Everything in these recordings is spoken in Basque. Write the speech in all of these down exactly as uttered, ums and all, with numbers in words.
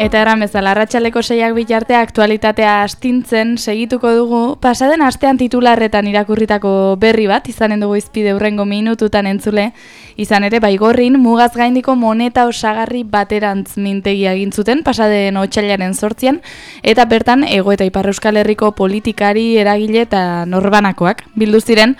Eta eran bezala, arratsaldeko seiak bitarte aktualitatea astintzen segituko dugu, pasaden astean titularretan irakurritako berri bat, izanen dugu izpide hurrengo minututan entzule, izan ere Baigorrin mugaz gaindiko moneta osagarri baterantz mintegia egin zuten pasaden otsailaren zortzian, eta bertan Hego eta Ipar Euskal Herriko politikari, eragile eta norbanakoak bildu ziren.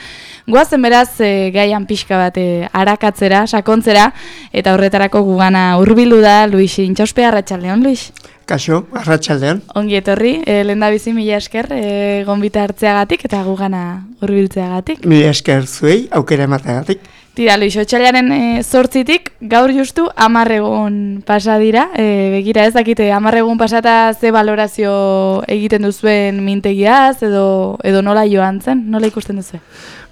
Goazen beraz e, gaian pixka bat e, arakatzera, sakontzera, eta horretarako gugana hurbildu da Luis Intxauspe. Arratsaldeon, Luis. Kaixo, arratsaldeon. Ongi etorri, e, lehendabizi mila esker e, gonbita hartzeagatik eta gugana hurbiltzeagatik. Mila esker zuei, aukera emateagatik. Tira, Luis, otsailaren e, zortzitik, gaur justu hamar egun pasa dira, e, begira ez dakite, hamar egun pasata ze balorazio egiten duzuen mintegiaz, edo, edo nola joan zen, nola ikusten duzu?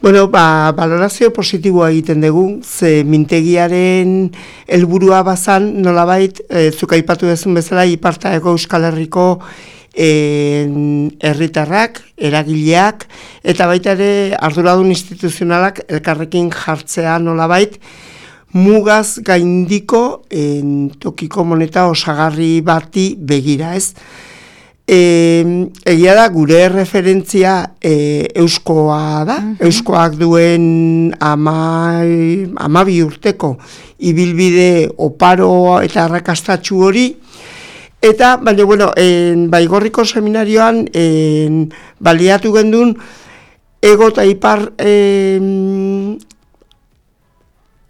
Bueno, ba, balorazio positiboa egiten dugu, ze mintegiaren helburua bazan, nolabait, e, zuk aipatu dezun bezala, Iparta Hego Euskal Herriko herritarrak, eragileak, eta baita ere arduradun instituzionalak elkarrekin jartzea nolabait, mugaz gaindiko en, tokiko moneta osagarri bati begira, ez? E, egia da, gure referentzia e, euskoa da, uh-huh. Euskoak duen ama, amabi urteko ibilbide oparo eta arrakastatsu hori. Eta, baina, bueno, en, Baigorriko seminarioan en, baliatu gendun Ego eta Ipar en,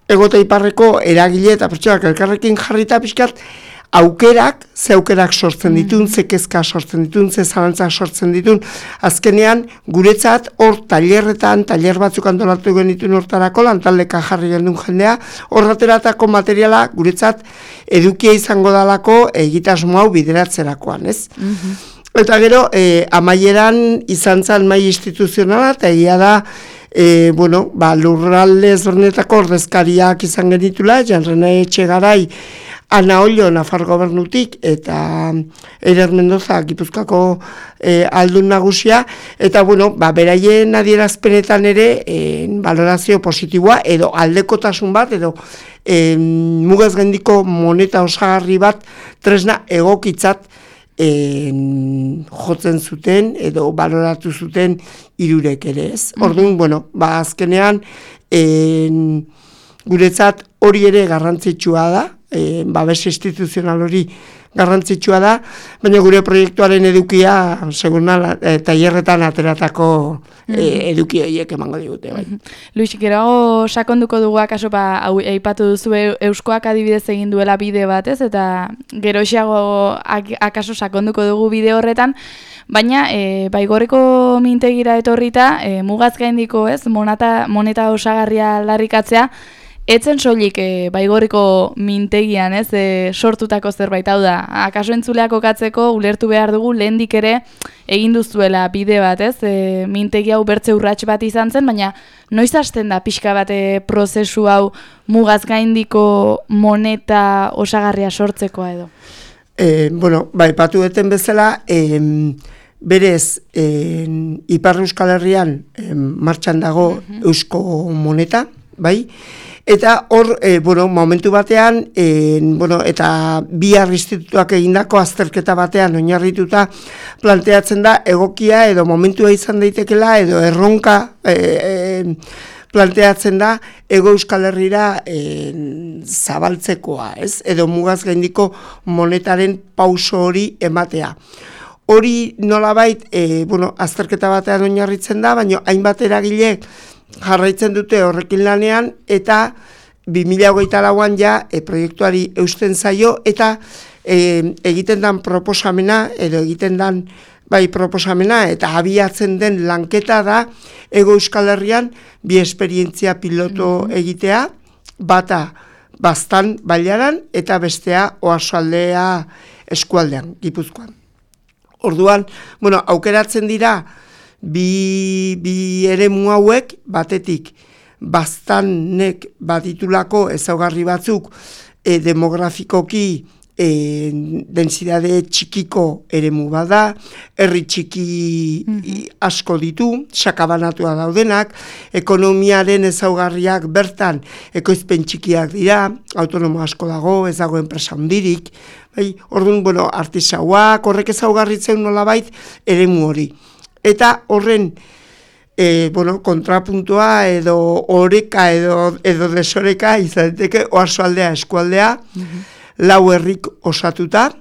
Ego eta Iparreko eragile eta pertsonak elkarrekin jarrita pixkat aukerak, ze aukerak sortzen ditun, ze kezka sortzen ditun, ze zalantzak sortzen ditun, azkenean guretzat hor tailerretan, tailer batzuk antolatu genituen hortarako, lantaldeka jarri gendun jendea, horrateratako materiala guretzat edukia izango dalako egitasmo hau bideratzerakoan, ez? Mm-hmm. Eta gero, eh, amaieran izan zen mai instituzionala, eta egia da, E, bueno, ba, lurralde ezberdinetako ordezkariak izan genitula, Janrene Etxegarai, Ana Ollo, Nafar Gobernutik, eta Eider Mendoza, Gipuzkoako e, aldun nagusia, eta, bueno, ba, beraien adierazpenetan ere, e, valorazio positiboa, edo aldekotasun bat, edo e, mugaz gaindiko moneta osagarri bat, tresna egokitzat, En, jotzen zuten edo baloratu zuten hirurek ere, ez? Orduan, bueno, ba azkenean en, guretzat hori ere garrantzitsua da, en, babes instituzional hori garrantzitsua da, baina gure proiektuaren edukia, seguna, e, tailerretan ateratako e, eduki horiek emango digute. Bai. Luis, gero sakonduko dugu akaso, ba, aipatu duzu Euskoak adibidez egin duela bide bat, ez? Eta gero xago akaso sakonduko dugu bide horretan, baina e, Baigorriko mintegira etorrita, e, mugaz gaindiko, ez? Monata, moneta osagarria aldarrikatzea, etzen soilik e, Baigorriko mintegian, ez, e, sortutako zerbait, hau da, akaso entzuleak okatzeko ulertu behar dugu lehendik ere egin duzuela bide bat, ez, e, mintegi hau bertze urrats bat izan zen, baina noiz hasten da pixka bat e, prozesu hau mugaz gaindiko moneta osagarria sortzekoa edo? E, bueno, bai, patu eten bezala, e, berez, e, Ipar Euskal Herrian e, martxan dago uh-huh. Eusko moneta, bai, eta hor, e, bueno, momentu batean, e, bueno, eta bihar institutuak egindako azterketa batean oinarrituta planteatzen da egokia edo momentua izan daitekela edo erronka e, e, planteatzen da Hego Euskal Herrira e, zabaltzekoa, ez? Edo mugaz gaindiko monetaren pauso hori ematea. Hori nolabait, e, bueno, azterketa batean oinarritzen da, baina hainbat eragilek jarraitzen dute horrekin lanean, eta bi mila hogeita lauan ja e, proiektuari eusten zaio, eta e, egiten dan proposamena, edo egiten dan bai proposamena, eta abiatzen den lanketa da, Hego Euskal Herrian bi esperientzia piloto egitea, bata Baztan bailaran, eta bestea Oarsoaldea eskualdean, Gipuzkoan. Orduan, bueno, aukeratzen dira, Bi, bi eremu hauek, batetik, Baztanek baditulako ezaugarri batzuk e, demografikoki e, densidade txikiko eremu bada, herri txiki mm-hmm. asko ditu, sakabanatua daudenak, ekonomiaren ezaugarriak bertan ekoizpen txikiak dira, autonomo asko dago, ez dago enpresa handirik, Bai, orduan, bueno, artisauak, horrek ezaugarritzen nolabait eremu hori. Eta horren, e, bueno, kontrapuntua edo oreka edo, edo desoreka izateke oarsoaldea eskualdea, mm-hmm. lau herrik osatuta,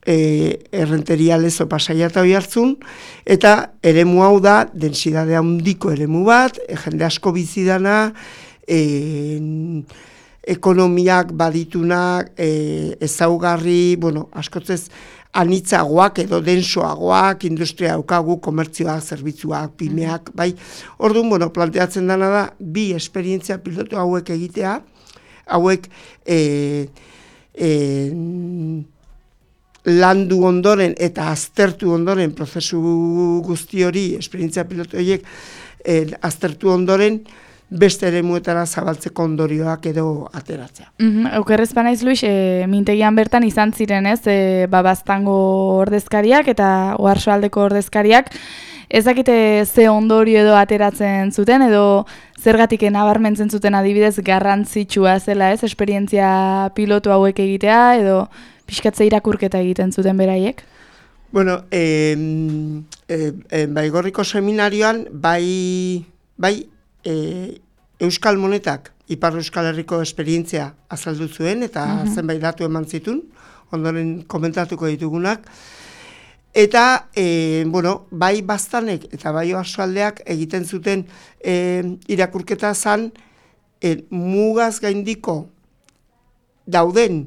e, errenteria Lezo Pasaia eta Oiartzun, eta eremu hau da, densidade handiko eremu bat, e, jende asko bizidana, e, ekonomiak baditunak, e, ezaugarri, bueno, askotzez, anitzagoak edo densoagoak, industria daukagu, komertzioak, zerbitzuak, pimeak, bai. Orduan, bueno, planteatzen dena da, bi esperientzia pilotu hauek egitea, hauek e, e, landu ondoren eta aztertu ondoren, prozesu guzti hori, esperientzia pilotu horiek, e, aztertu ondoren, beste eremuetara zabaltzeko ondorioak edo ateratzea. Mm-hmm. Aukerrez banaiz, Luis, e, mintegian bertan izan ziren, ez, e, babaztango ordezkariak eta oarsoaldeko ordezkariak, ez dakite ze ondorio edo ateratzen zuten, edo zergatik nabarmentzen zuten adibidez garrantzitsua zela, ez, esperientzia pilotu hauek egitea, edo pixkatze irakurketa egiten zuten beraiek? Bueno, e, e, e, Baigorriko seminarioan, bai, bai, E, Euskal Monetak Ipar Euskal Herriko esperientzia azaldu zuen eta mm-hmm. zenbait datu eman zitun, ondoren komentatuko ditugunak. Eta, e, bueno, bai Baztanek eta bai oarsoaldeak egiten zuten e, irakurketa zan e, mugaz gaindiko dauden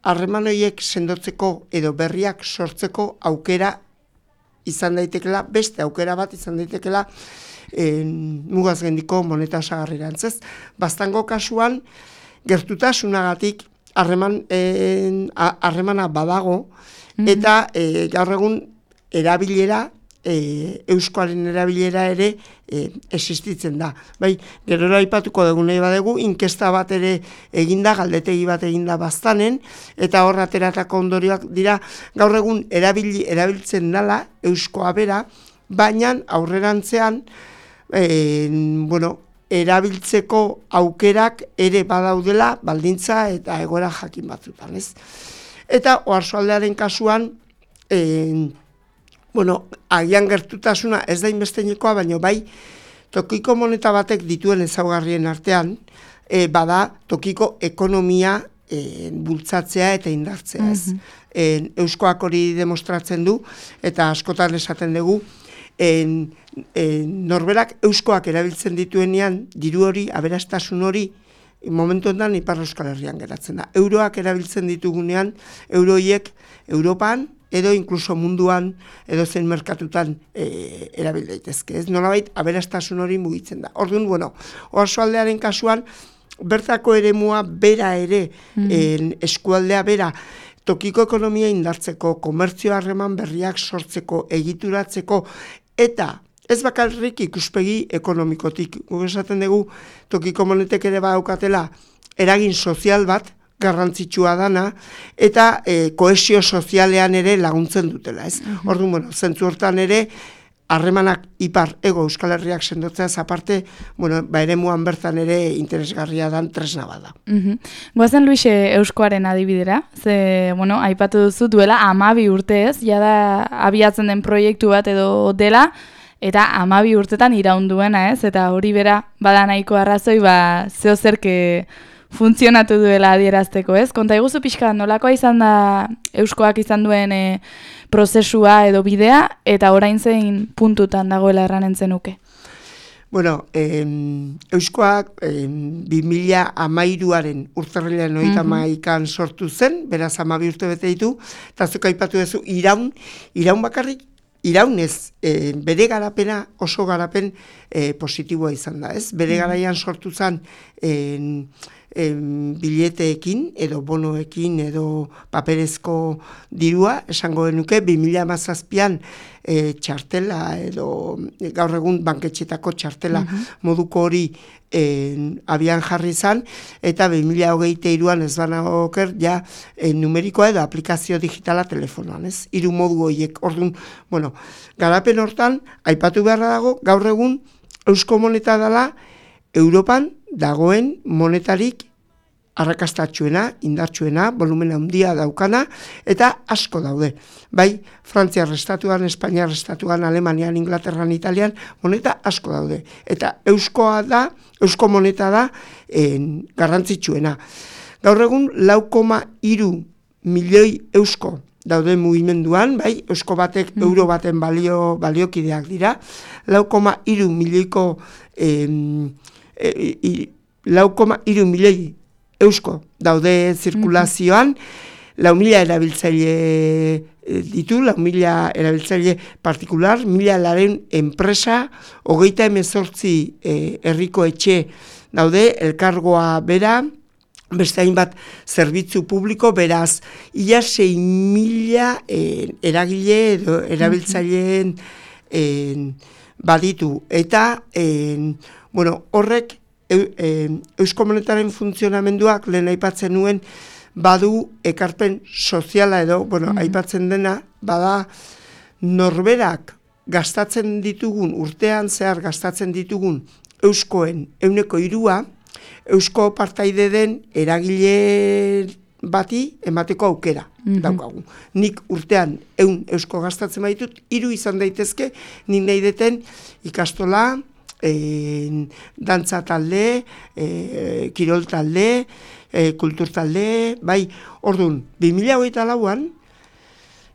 harreman horiek sendotzeko edo berriak sortzeko aukera izan daitekela, beste aukera bat izan daitekela, En, mugaz gaindiko moneta osagarrirantz. Baztango kasuan, gertutasunagatik harreman harremana badago, mm-hmm. eta e, gaur egun erabilera, e, euskoaren erabilera ere e, existitzen da. Bai, gerora aipatuko dugu nahi badegu, inkesta bat ere eginda, galdetegi bat eginda Baztanen, eta hor ateratako ondorioak dira, gaur egun erabili, erabiltzen dala euskoa bera, baina aurrerantzean, E, bueno, erabiltzeko aukerak ere badaudela baldintza eta egoera jakin batzutan, ez? Eta oarsoaldearen kasuan, e, bueno, agian gertutasuna ez da inbesteinekoa, baina bai, tokiko moneta batek dituen ezaugarrien artean, e, bada tokiko ekonomia e, bultzatzea eta indartzea, ez? Mm-hmm. E, Euskoak hori demostratzen du, eta askotan esaten dugu, En, en, norberak euskoak erabiltzen dituenean, diru hori, aberastasun hori, momentu ondan Ipar Euskal Herrian geratzen da. Euroak erabiltzen ditugunean, euroiek Europan, edo inkluso munduan, edo zen merkatutan e, erabil daitezke. Ez nolabait, aberastasun hori mugitzen da. Orduan, bueno, oarsoaldearen kasuan, bertako eremua bera ere, mm. en, eskualdea bera, tokiko ekonomia indartzeko, komertzio harreman berriak sortzeko, egituratzeko, eta ez bakarrik ikuspegi ekonomikotik. Guk esaten dugu, tokiko monetek ere badaukatela eragin sozial bat, garrantzitsua dana, eta e, kohesio sozialean ere laguntzen dutela, ez? Uh-huh. Orduan, bueno, zentzu hortan ere, harremanak ipar ego Euskal Herriak sendotzea aparte, bueno, ba eremuan bertan ere interesgarria dan tresna bada. Mhm. Goazen Luis euskoaren adibidera, ze, bueno, aipatu duzu duela hamabi urte ez, jada abiatzen den proiektu bat edo dela, eta hamabi urtetan iraunduena ez, eta hori bera bada nahiko arrazoi, ba, zeo zerke funtzionatu duela adierazteko ez. Konta iguzu pixka, nolakoa izan da euskoak izan duen e, prozesua edo bidea, eta orain zein puntutan dagoela erranen zenuke? Bueno, eh, euskoak eh, bi mila hamairuaren urtarrilaren hogeita hamaikan sortu zen, beraz hamabi urte bete ditu, eta zuk aipatu duzu iraun, iraun bakarrik, iraunez, eh, bere garapena oso garapen eh, positiboa izan da, ez? Bere garaian sortu zen eh, Em, bileteekin edo bonoekin edo paperezko dirua, esango genuke, bi mila hamazazpian e, txartela edo e, gaur egun banketxetako txartela uh-huh. moduko hori e, abian jarri izan, eta bi mila hogeita hiruan ez bana oker, ja e, numerikoa edo aplikazio digitala telefonoan, ez? Hiru modu horiek, orduan, bueno, garapen hortan, aipatu beharra dago, gaur egun eusko moneta dela Europan dagoen monetarik arrakastatxuena, indartsuena, volumen handia daukana, eta asko daude. Bai, Frantziar estatuan, Espainiar estatuan, Alemanian, Inglaterran, Italian, moneta asko daude. Eta euskoa da, eusko moneta da en, garrantzitsuena. Gaur egun, lau koma hiru milioi eusko daude mugimenduan, bai, eusko batek mm. euro baten balio, baliokideak dira, lau koma hiru milioiko em, e, e, lau koma hiru milioi eusko daude zirkulazioan, lau mila erabiltzaile ditu, lau mila erabiltzaile partikular, mila laren enpresa, hogeita hemezortzi eh, herriko etxe daude, elkargoa bera, beste hainbat zerbitzu publiko, beraz, ia sei mila eh, eragile edo erabiltzaileen eh, baditu. Eta, eh, bueno, horrek eu, eh, Eusko Monetaren funtzionamenduak lehen aipatzen nuen badu ekarpen soziala edo, bueno, mm-hmm. aipatzen dena, bada norberak gastatzen ditugun, urtean zehar gastatzen ditugun euskoen euneko hirua, eusko partaide den eragile bati emateko aukera mm-hmm. daukagu. Nik urtean eun eusko gastatzen baitut, hiru izan daitezke, nik nahi deten ikastola, e, dantza talde, e, kirol talde, e, kultur talde, bai, orduan, bi mila hogeita lauan,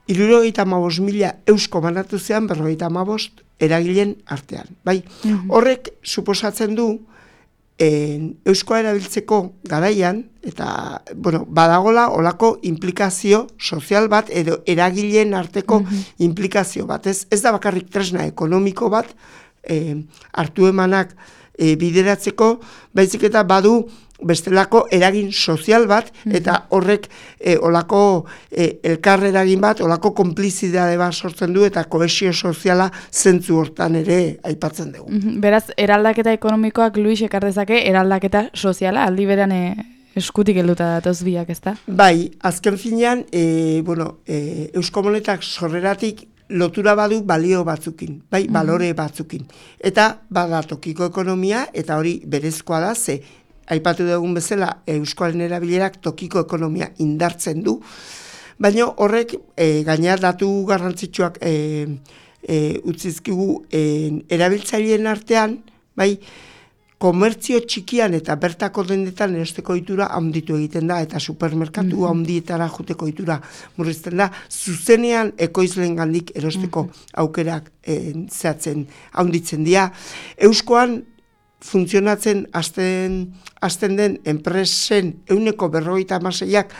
hirurogeita hamabost mila eusko banatu zean, berrogeita hamabost eragileen artean. Bai, mm-hmm. horrek suposatzen du, En, euskoa erabiltzeko garaian, eta, bueno, badagola olako implikazio sozial bat, edo eragileen arteko mm-hmm. implikazio bat. Ez, ez da bakarrik tresna ekonomiko bat, eh, hartu emanak eh, bideratzeko, baizik eta badu bestelako eragin sozial bat, mm-hmm. eta horrek eh, olako eh, elkar eragin bat, olako konplizidade bat sortzen du, eta kohesio soziala zentzu hortan ere aipatzen dugu. Mm-hmm. Beraz, eraldaketa ekonomikoak Luis ekar dezake, eraldaketa soziala, aldi beran e, eskutik helduta datoz biak, ezta? Bai, azken finean, e, bueno, e, Eusko Monetak sorreratik lotura badu balio batzukin, bai, mm-hmm. balore batzukin. Eta bada tokiko ekonomia, eta hori berezkoa da, ze aipatu dugun bezala, euskoaren erabilerak tokiko ekonomia indartzen du, baina horrek e, gaina datu garrantzitsuak e, e, utzizkigu e, erabiltzaileen artean, bai, komertzio txikian eta bertako dendetan erosteko ohitura handitu egiten da, eta supermerkatu mm-hmm. handietara joteko ohitura murrizten da, zuzenean ekoizleen gandik erosteko mm-hmm. aukerak e, zehatzen handitzen dira. Euskoan funtzionatzen hasten hasten den enpresen ehuneko berrogeita hamaseiak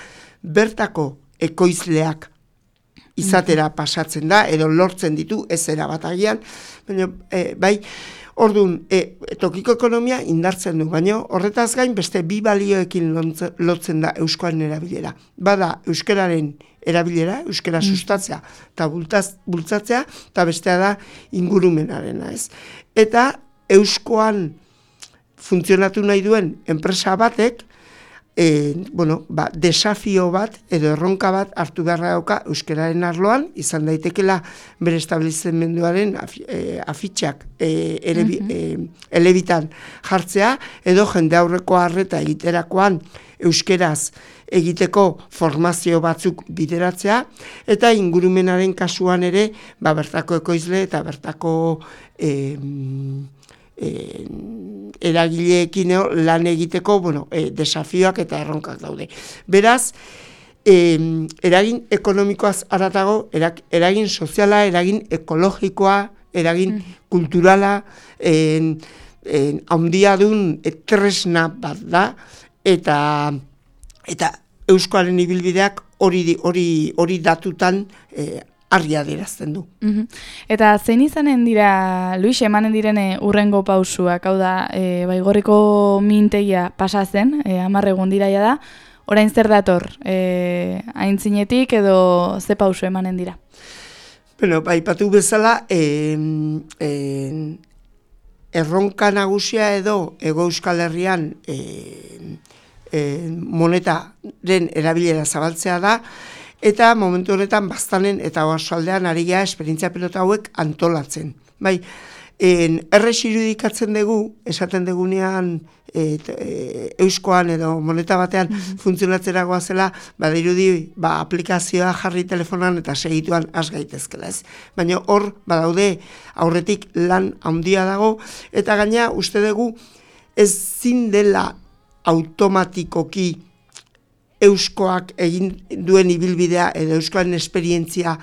bertako ekoizleak izatera pasatzen da, edo lortzen ditu, ez era bat agian, baina, e, bai, orduan, e, tokiko ekonomia indartzen du, baina horretaz gain beste bi balioekin lotzen da euskoaren erabilera. Bada euskararen erabilera, euskara sustatzea eta bultzatzea, eta bestea da ingurumenarena, ez. Eta euskoan funtzionatu nahi duen enpresa batek, e, bueno, ba, desafio bat edo erronka bat hartu beharra dauka euskararen arloan, izan daitekela bere establizimenduaren afi, e, afitxak e, ere, mm-hmm. e, elebitan jartzea, edo jende aurreko arreta egiterakoan euskeraz egiteko formazio batzuk bideratzea, eta ingurumenaren kasuan ere, ba, bertako ekoizle eta bertako e, E, eragileekin lan egiteko, bueno, e, desafioak eta erronkak daude. Beraz, e, eragin ekonomikoaz haratago, erag, eragin soziala, eragin ekologikoa, eragin mm. kulturala, en, en, handiadun tresna bat da, eta, eta euskoaren ibilbideak hori hori hori datutan e, argi adierazten du. Mm-hmm. Eta zein izanen dira, Luis, emanen direne urrengo pausuak, hau da, e, Baigorriko mintegia pasa zen, e, hamar egun diraia da, orain zer dator, e, aintzinetik edo ze pausu emanen dira? Bueno, aipatu bezala, e, e, erronka nagusia edo Hego Euskal Herrian e, e, monetaren erabilera zabaltzea da, eta momentu honetan Baztanen eta Oarsoaldean ari gara esperientzia pilota hauek antolatzen. Bai, En, errex irudikatzen dugu, esaten dugunean e, e, euskoan edo moneta batean mm-hmm. funtzionatzera goazela, badirudi ba, aplikazioa jarri telefonan eta segituan has gaitezkela, ez? Baina hor, badaude aurretik lan handia dago, eta gaina uste dugu ez zin dela automatikoki euskoak egin duen ibilbidea edo euskoaren esperientzia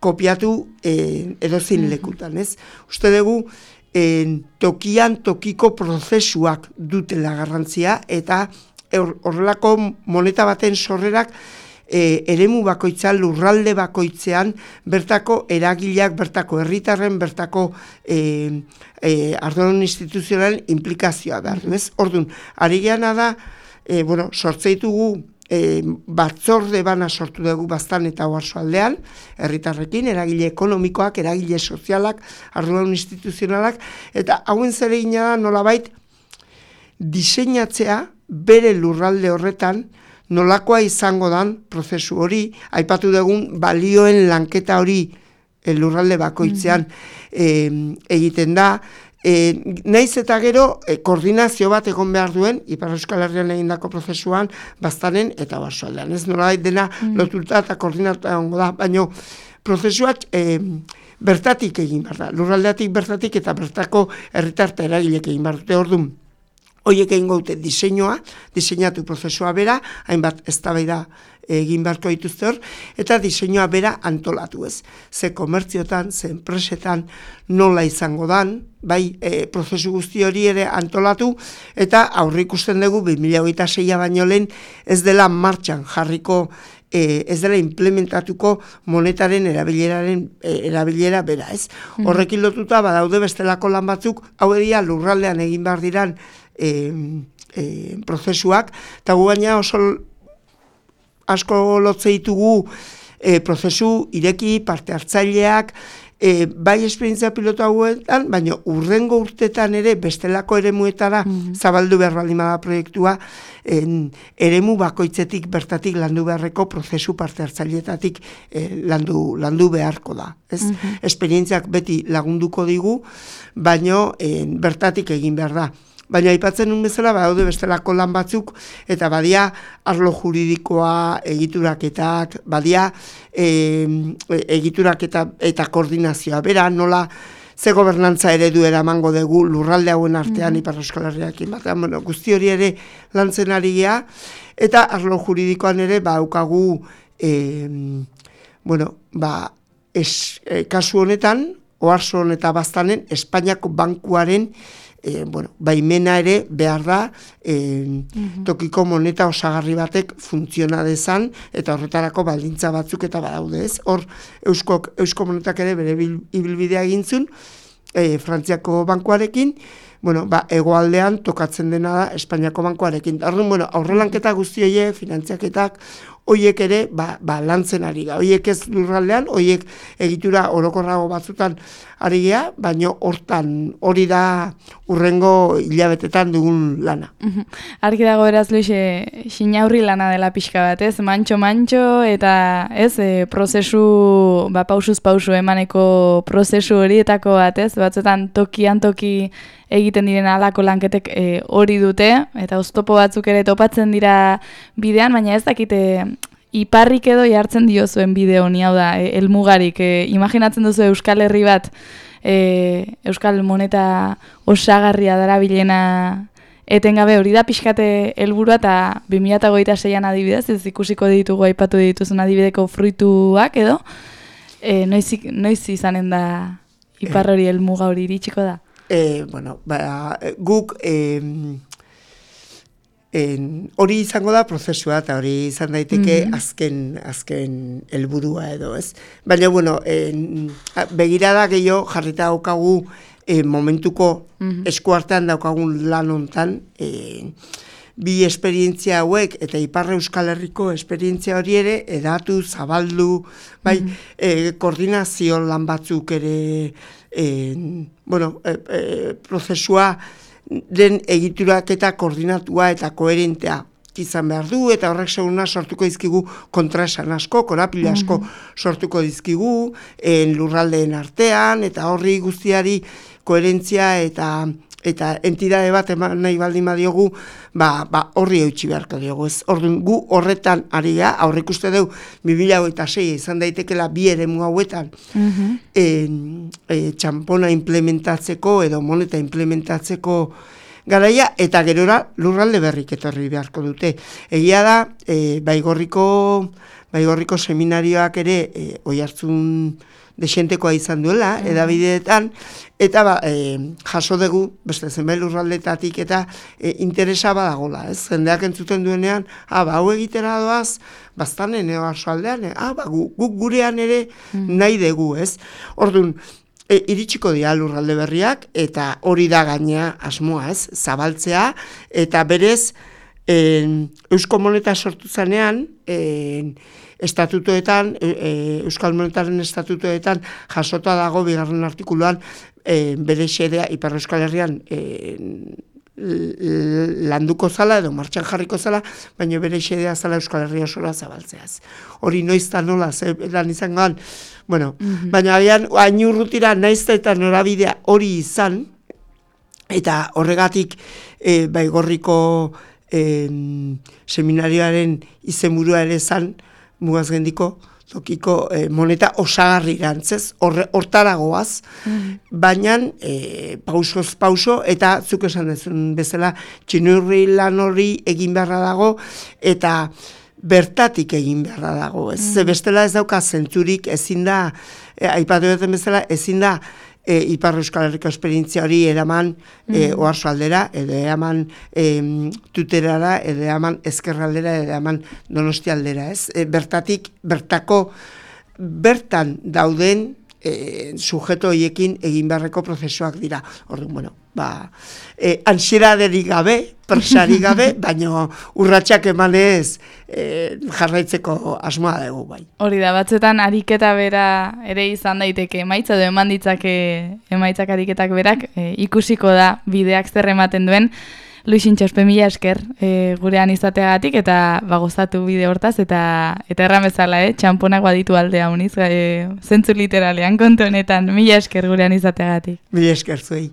kopiatu eh, edozin lekutan, ez? Uste dugu, eh, tokian tokiko prozesuak dutela garrantzia, eta horrelako moneta baten sorrerak eh, eremu bakoitzan, lurralde bakoitzean, bertako eragileak, bertako herritarren, bertako eh, eh, arduradun instituzionalen implikazioa behar du, ez? Orduan, ari geana da, eh, bueno, sortzeitugu E, batzorde bana sortu dugu Baztan eta Oarsoaldean, herritarrekin, eragile ekonomikoak, eragile sozialak, arduradun instituzionalak, eta hauen zeregina da nolabait diseinatzea bere lurralde horretan nolakoa izango dan prozesu hori, aipatu dugun balioen lanketa hori lurralde bakoitzean mm-hmm. e, egiten da. E, naiz eta gero e, koordinazio bat egon behar duen Ipar Euskal Herrian egindako prozesuan Baztanen eta Oarsoaldean. Ez nolabait dena mm. lotuta eta koordinatuta egongo da, baina prozesuak e, bertatik egin behar da. Lurraldeatik bertatik eta bertako herritar eta eragilek egin behar dute. Orduan, horiek egin gaute diseinua, diseinatu prozesua bera, hainbat eztabaida egin beharko dituzte hor, eta diseinua bera antolatu, ez. Ze komertziotan, ze enpresetan nola izango dan, bai, e, prozesu guzti hori ere antolatu, eta aurre ikusten dugu bi mila hogeita seia baino lehen ez dela martxan jarriko, e, ez dela implementatuko monetaren erabileraren e, erabilera bera, ez. Mm. Horrekin lotuta badaude bestelako lan batzuk, hau edia lurraldean egin behar diran e, e, prozesuak, eta gu baina oso asko lotze ditugu e, prozesu ireki, parte hartzaileak, e, bai esperientzia pilotu hauetan, baina urrengo urtetan ere bestelako eremuetara mm-hmm. zabaldu behar baldin bada proiektua, en, eremu bakoitzetik bertatik landu beharreko prozesu parte hartzaileetatik e, landu, landu beharko da. Ez? Mm-hmm. Esperientziak beti lagunduko digu, baina en, bertatik egin behar da. Baina aipatzen nun bezala, badaude bestelako lan batzuk, eta badia arlo juridikoa, egituraketak, badia e, egiturak eta, eta koordinazioa. Bera, nola ze gobernantza eredu eramango dugu lurralde hauen artean mm-hmm. Ipar Euskal Herriarekin batean, bueno, guzti hori ere lantzen ari gea, eta arlo juridikoan ere baukagu, e, bueno, ba, es, e, kasu honetan, Oarsoan eta Baztanen, Espainiako bankuaren E, bueno, baimena ere behar da e, mm-hmm. tokiko moneta osagarri batek funtziona dezan eta horretarako baldintza batzuk eta badaude, ez? Hor Euskok, Eusko monetak ere bere ibilbidea egintzun e, Frantziako bankuarekin, bueno, ba, hegoaldean tokatzen dena da Espainiako bankuarekin. Orduan, bueno, aurrelanketa guzti horiek, finantziaketak, hoiek ere ba, ba, lantzen ari ga. Hoiek ez lurraldean, hoiek egitura orokorrago batzutan ari gea, baina hortan hori da urrengo hilabetetan dugun lana. Argi dago beraz, Luis, xinaurri lana dela pixka bat, ez? Mantxo-mantxo eta ez, e, prozesu, ba, pausuz pausu emaneko prozesu horietako bat, ez? Batzuetan tokian toki egiten diren alako lanketek e, hori dute, eta oztopo batzuk ere topatzen dira bidean, baina ez dakite iparrik edo jartzen diozuen bide honi, hau da, e, elmugarik. E, imaginatzen duzu Euskal Herri bat, e, Euskal moneta osagarria darabilena etengabe hori da pixkate helburua, eta bi mila hogeita seian adibidez, ez ikusiko ditugu aipatu dituzun adibideko fruituak edo, e, noiz, noiz izanen da ipar hori helmuga hori iritsiko da? E, bueno, ba, guk e, en, hori izango da prozesua eta hori izan daiteke mm-hmm. azken azken helburua edo, ez? Baina, bueno, en, begirada gehiago jarrita daukagu e, momentuko mm-hmm. eskuartean daukagun lan hontan, e, bi esperientzia hauek eta Ipar Euskal Herriko esperientzia hori ere edatu, zabaldu, bai, mm-hmm. e, koordinazio lan batzuk ere, e, bueno, e, e, prozesua den egiturak eta koordinatua eta koherentea izan behar du, eta horrek seguna sortuko dizkigu kontraesan asko, korapila asko mm-hmm. sortuko dizkigu, en lurraldeen artean, eta horri guztiari koherentzia eta eta entidade bat eman nahi baldin badiogu, ba, ba horri eutxi beharko diogu. Ez, orduan, gu horretan ari ga, aurrik uste dugu, bi mila hogeita sei izan daitekela bi eremu hauetan, mm-hmm. e, e, txampona implementatzeko edo moneta implementatzeko garaia, eta gerora lurralde berrik etorri beharko dute. Egia da, e, baigorriko, baigorriko seminarioak ere, e, oihartzun desentekoa izan duela, mm. edabideetan, eta ba, e, jaso dugu, beste zenbait lurraldetatik, eta e, interesa badagola, ez? Jendeak entzuten duenean, ah, ba, hau egitera doaz, bastanen ego aldean, ah, ba, gu, guk gurean ere mm. nahi dugu, ez? Orduan, e, iritsiko dira lurralde berriak, eta hori da gainea asmoa, ez? Zabaltzea, eta berez, e, Eusko Moneta sortu zanean, e, estatutoetan, e, Euskal Monetaren estatutoetan jasota dago bigarren artikuluan e, bere xedea Ipar Euskal Herrian e, landuko zala edo martxan jarriko zala, baina bere xedea zala Euskal Herria osora zabaltzeaz. Hori noizta nola, ze lan izangoan, bueno, mm-hmm. baina agian ainurrutira naizta eta norabidea hori izan, eta horregatik e, baigorriko e, seminarioaren izenburua ere zan, Mugazgendiko tokiko e, moneta osagarri gantzez, hortaragoaz, mm-hmm. baina e, pausoz pauso, eta zuk esan dezun bezala, txinurri lan hori egin beharra dago, eta bertatik egin beharra dago. Ez, mm-hmm. bestela ez dauka zentzurik, ezin da, e, aipatu duten bezala, ezin da, E, Ipar Euskal Herriko esperientzia hori eraman mm-hmm. e, oharso aldera, edo eraman e, tuterara, edo eraman ezkerraldera, edo eraman Donosti aldera, ez? E, bertatik, bertako, bertan dauden e, sujeto horiekin egin beharreko prozesuak dira. Orduan, bueno, ba, e, ansieraderik gabe, presari gabe, baina urratsak emanez e, jarraitzeko asmoa dugu bai. Hori da, batzuetan ariketa bera ere izan daiteke emaitza, edo eman ditzake emaitzak ariketak berak, e, ikusiko da bideak zer ematen duen. Luixin Txospe, mila esker e, gurean izateagatik, eta bagozatu bide hortaz, eta eta erran bezala, eh, txamponak baditu aldea uniz, e, zentzu literalean kontu honetan, mila esker gurean izateagatik. Mila esker zuei.